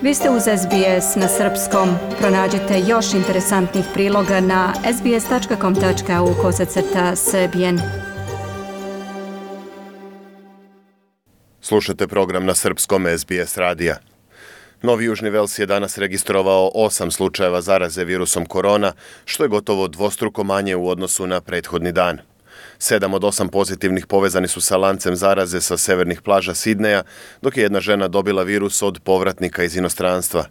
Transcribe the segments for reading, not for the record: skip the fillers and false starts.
Vi ste uz SBS na srpskom. Pronađite još interesantnih priloga na sbs.com.au/srbijen. Slušate program na srpskom SBS radija. Novi Južni Vels je danas registrovao 8 slučajeva zaraze virusom korona, što je gotovo dvostruko manje u odnosu na prethodni dan. 7 od 8 pozitivnih povezani su sa lancem zaraze sa severnih plaža Sidneja, dok je jedna žena dobila virus od povratnika iz inostranstva.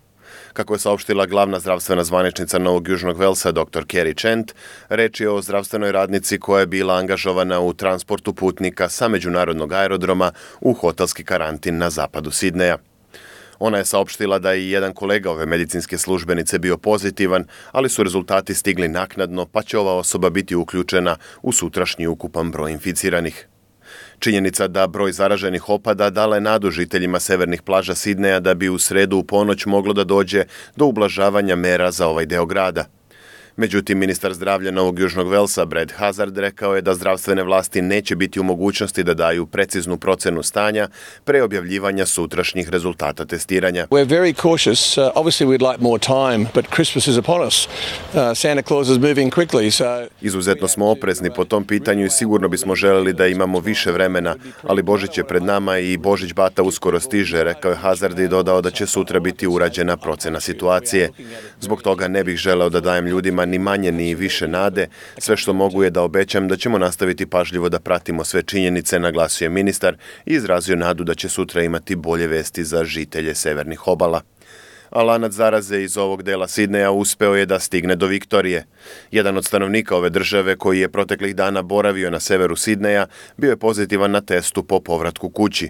Kako je saopštila glavna zdravstvena zvaničnica Novog Južnog Velsa, dr. Kerry Chant, reč je o zdravstvenoj radnici koja je bila angažovana u transportu putnika sa međunarodnog aerodroma u hotelski karantin na zapadu Sidneja. Ona je saopštila da je jedan kolega ove medicinske službenice bio pozitivan, ali su rezultati stigli naknadno, pa će ova osoba biti uključena u sutrašnji ukupan broj inficiranih. Činjenica da broj zaraženih opada dala je nadu žiteljima severnih plaža Sidneja da bi u sredu u ponoć moglo da dođe do ublažavanja mera za ovaj deo grada. Međutim, ministar zdravlja Novog Južnog Velsa, Brad Hazzard, rekao je da zdravstvene vlasti neće biti u mogućnosti da daju preciznu procenu stanja pre objavljivanja sutrašnjih rezultata testiranja. We're very cautious. Obviously we'd like more time, but Christmas is upon us. Santa Claus is moving quickly. Izuzetno smo oprezni po tom pitanju i sigurno bismo želeli da imamo više vremena, ali Božić je pred nama i Božić bata uskoro stiže, rekao je Hazzard i dodao da će sutra biti urađena procena situacije. Zbog toga ne bih želeo da dajem ljudima ni manje ni više nade. Sve što mogu je da obećam da ćemo nastaviti pažljivo da pratimo sve činjenice, naglasio je ministar i izrazio nadu da će sutra imati bolje vesti za žitelje severnih obala. A lanac zaraze iz ovog dela Sidneja uspeo je da stigne do Viktorije. Jedan od stanovnika ove države koji je proteklih dana boravio na severu Sidneja bio je pozitivan na testu po povratku kući.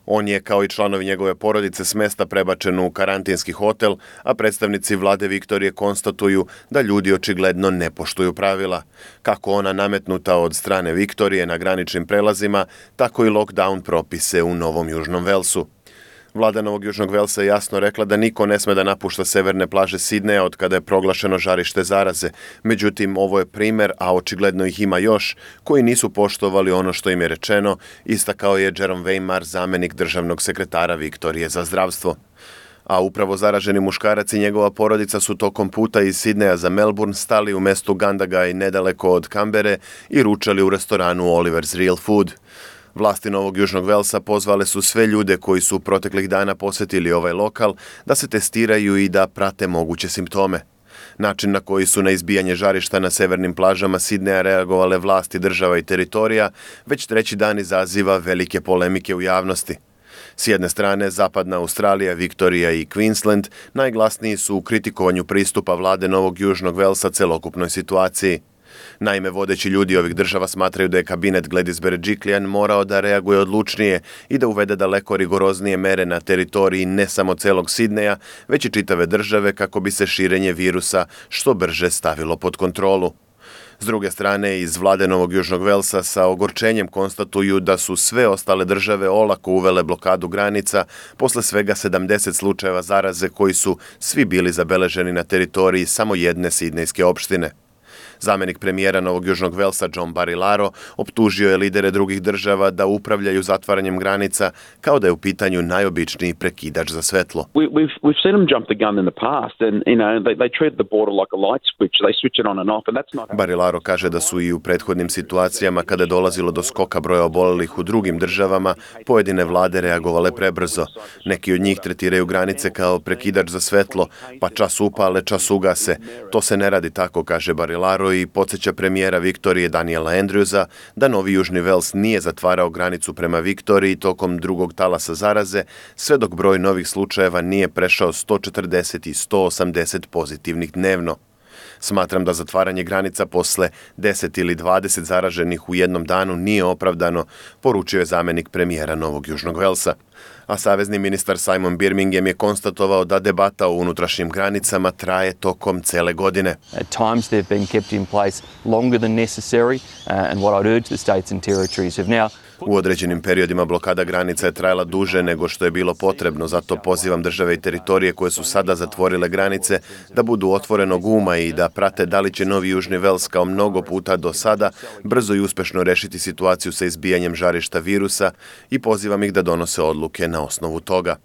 On je, kao i članovi njegove porodice, s mesta prebačen u karantinski hotel, a predstavnici vlade Viktorije konstatuju da ljudi očigledno ne poštuju pravila. Kako ona nametnuta od strane Viktorije na graničnim prelazima, tako i lockdown propise u Novom Južnom Velsu. Vlada Novog Južnog Velsa je jasno rekla da niko ne sme da napušta severne plaže Sidneja od kada je proglašeno žarište zaraze. Međutim, ovo je primer, a očigledno ih ima još, koji nisu poštovali ono što im je rečeno, istakao je Jerome Weimar, zamenik državnog sekretara Viktorije za zdravstvo. A upravo zaraženi muškarac i njegova porodica su tokom puta iz Sidneja za Melbourne stali u mestu Gandagaj nedaleko od Kambere i ručali u restoranu Oliver's Real Food. Vlasti Novog Južnog Velsa pozvale su sve ljude koji su proteklih dana posetili ovaj lokal da se testiraju i da prate moguće simptome. Način na koji su na izbijanje žarišta na severnim plažama Sidneja reagovale vlasti država i teritorija već treći dan izaziva velike polemike u javnosti. S jedne strane, zapadna Australija, Viktorija i Queensland najglasniji su u kritikovanju pristupa vlade Novog Južnog Velsa celokupnoj situaciji. Naime, vodeći ljudi ovih država smatraju da je kabinet Gladys Berejiklian morao da reaguje odlučnije i da uvede daleko rigoroznije mere na teritoriji ne samo celog Sidneja, već i čitave države kako bi se širenje virusa što brže stavilo pod kontrolu. S druge strane, iz vlade Novog Južnog Velsa sa ogorčenjem konstatuju da su sve ostale države olako uvele blokadu granica posle svega 70 slučajeva zaraze koji su svi bili zabeleženi na teritoriji samo jedne sidnejske opštine. Zamenik premijera Novog Južnog Velsa John Barilaro optužio je lidere drugih država da upravljaju zatvaranjem granica kao da je u pitanju najobičniji prekidač za svetlo. We've seen them jump the gun in the past and they treat the border like a light switch. They switch it on and off and that's not. Barilaro kaže da su i u prethodnim situacijama kada je dolazilo do skoka broja obolelih u drugim državama, pojedine vlade reagovale prebrzo. Neki od njih tretiraju granice kao prekidač za svetlo, pa čas upale, čas ugase. To se ne radi tako, kaže Barilaro i podsjeća premijera Viktorije Daniela Andrewsa da Novi Južni Vels nije zatvarao granicu prema Viktoriji tokom drugog talasa zaraze, sve dok broj novih slučajeva nije prešao 140 i 180 pozitivnih dnevno. Smatram da zatvaranje granica posle 10 ili 20 zaraženih u jednom danu nije opravdano, poručio je zamenik premijera Novog Južnog Velsa. A savezni ministar Simon Birmingham je konstatovao da debata o unutrašnjim granicama traje tokom cele godine. At times they've been kept in place longer than necessary and what I'd urge the states and territories have now. U određenim periodima blokada granica je trajala duže nego što je bilo potrebno, zato pozivam države i teritorije koje su sada zatvorile granice da budu otvorenog uma i da prate da li će Novi Južni Vels kao mnogo puta do sada brzo i uspešno rešiti situaciju sa izbijanjem žarišta virusa i pozivam ih da donose odluke na osnovu toga.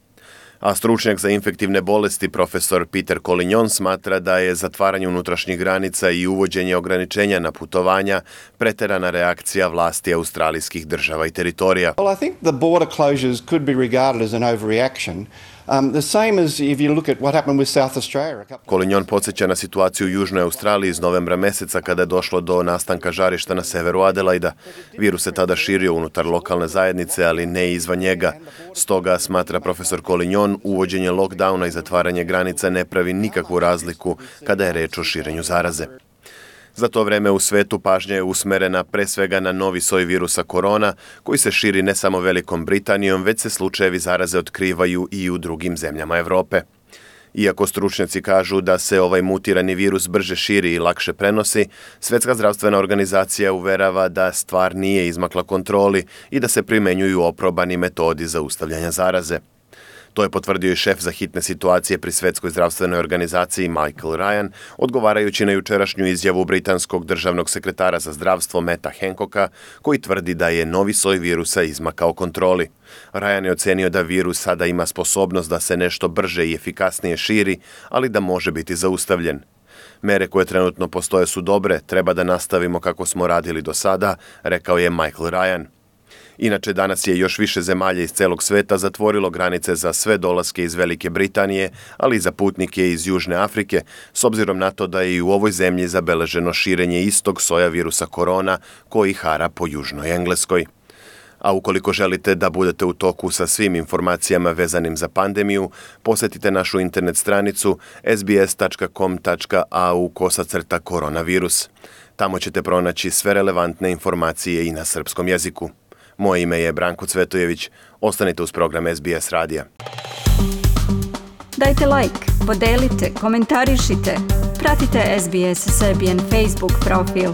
A stručnjak za infektivne bolesti profesor Peter Collignon smatra da je zatvaranje unutrašnjih granica i uvođenje ograničenja na putovanja preterana reakcija vlasti australijskih država i teritorija. Well, I think the border closures could be regarded as an overreaction. The same as if you look at what happened with South Australia. Collignon podsjeća na situaciju u Južnoj Australiji iz novembra meseca kada je došlo do nastanka žarišta na severu Adelaida. Virus se tada širio unutar lokalne zajednice, ali ne izvan njega. Stoga, smatra profesor Collignon, uvođenje lockdowna i zatvaranje granica ne pravi nikakvu razliku kada je reč o širenju zaraze. Za to vreme u svetu pažnja je usmerena pre svega na novi soj virusa korona, koji se širi ne samo Velikom Britanijom, već se slučajevi zaraze otkrivaju i u drugim zemljama Evrope. Iako stručnjaci kažu da se ovaj mutirani virus brže širi i lakše prenosi, Svjetska zdravstvena organizacija uverava da stvar nije izmakla kontroli i da se primenjuju oprobani metodi zaustavljanja zaraze. To je potvrdio i šef za hitne situacije pri Svjetskoj zdravstvenoj organizaciji Michael Ryan, odgovarajući na jučerašnju izjavu britanskog državnog sekretara za zdravstvo Matta Hancocka, koji tvrdi da je novi soj virusa izmakao kontroli. Ryan je ocenio da virus sada ima sposobnost da se nešto brže i efikasnije širi, ali da može biti zaustavljen. Mere koje trenutno postoje su dobre, treba da nastavimo kako smo radili do sada, rekao je Michael Ryan. Inače, danas je još više zemalja iz celog sveta zatvorilo granice za sve dolaske iz Velike Britanije, ali i za putnike iz Južne Afrike, s obzirom na to da je i u ovoj zemlji zabeleženo širenje istog soja virusa korona koji hara po Južnoj Engleskoj. A ukoliko želite da budete u toku sa svim informacijama vezanim za pandemiju, posjetite našu internet stranicu sbs.com.au/koronavirus. Tamo ćete pronaći sve relevantne informacije i na srpskom jeziku. Moje ime je Branko Cvetojević. Ostanite uz program SBS radija. Dajte like, podelite, komentarišite. Pratite SBS Serbian Facebook profil.